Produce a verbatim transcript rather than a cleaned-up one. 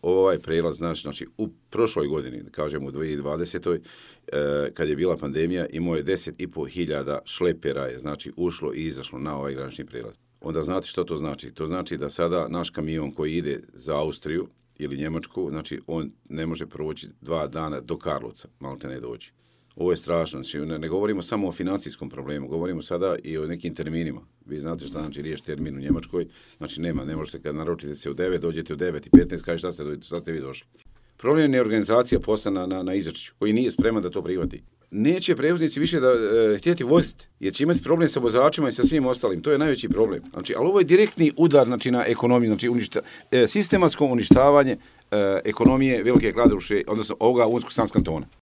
ovaj prijelaz, znači, znači u prošloj godini, da kažemo u dvije tisuće dvadesetoj. E, kad je bila pandemija, imao je deset i pol hiljada šlepera je, znači, ušlo i izašlo na ovaj granični prijelaz. Onda znate što to znači? To znači da sada naš kamion koji ide za Austriju ili Njemačku, znači on ne može proći dva dana do Karlovca, malte ne doći. Ovo je strašno, znači ne, ne govorimo samo o financijskom problemu, govorimo sada i o nekim terminima. Vi znate što znači riješiti termin u Njemačkoj, znači nema, ne možete kad naručite se u devet, dođete u devet i petnaest, kažete šta ste, šta ste vi došli. Problem je organizacija posla na, na, na Ižačiću, koji nije spreman da to prihvati. Neće prevoznici više da e, htjeti voziti, jer će imati problem sa vozačima i sa svim ostalim. To je najveći problem. Znači, ali ovo je direktni udar, znači, na ekonomiju, znači uništa, e, sistematsko uništavanje e, ekonomije Velike Kladuše, odnosno ovoga Unsko-Sanskog kantona.